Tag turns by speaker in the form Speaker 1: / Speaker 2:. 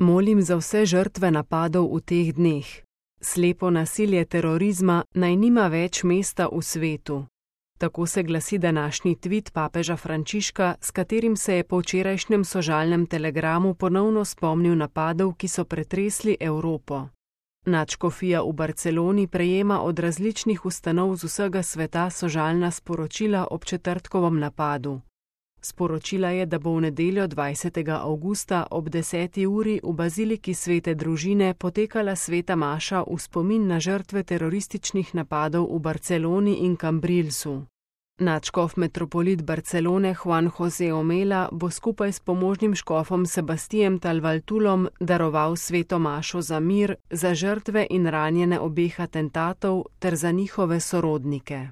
Speaker 1: Molim za vse žrtve napadov v teh dneh. Slepo nasilje terorizma naj nima več mesta v svetu. Tako se glasi današnji tvit papeža Frančiška, s katerim se je po včerajšnjem sožalnem telegramu ponovno spomnil napadov, ki so pretresli Evropo. Nadškofija v Barceloni prejema od različnih ustanov z vsega sveta sožalna sporočila ob četrtkovem napadu. Sporočila je, da bo v nedeljo 20. avgusta ob 10. uri v baziliki Svete Družine potekala sveta maša v spomin na žrtve terorističnih napadov v Barceloni in Cambrilsu. Nadškof metropolit Barcelone Juan José Omela bo skupaj s pomožnim škofom Sebastijem Talvaltulom daroval sveto mašo za mir, za žrtve in ranjene obeh atentatov ter za njihove sorodnike.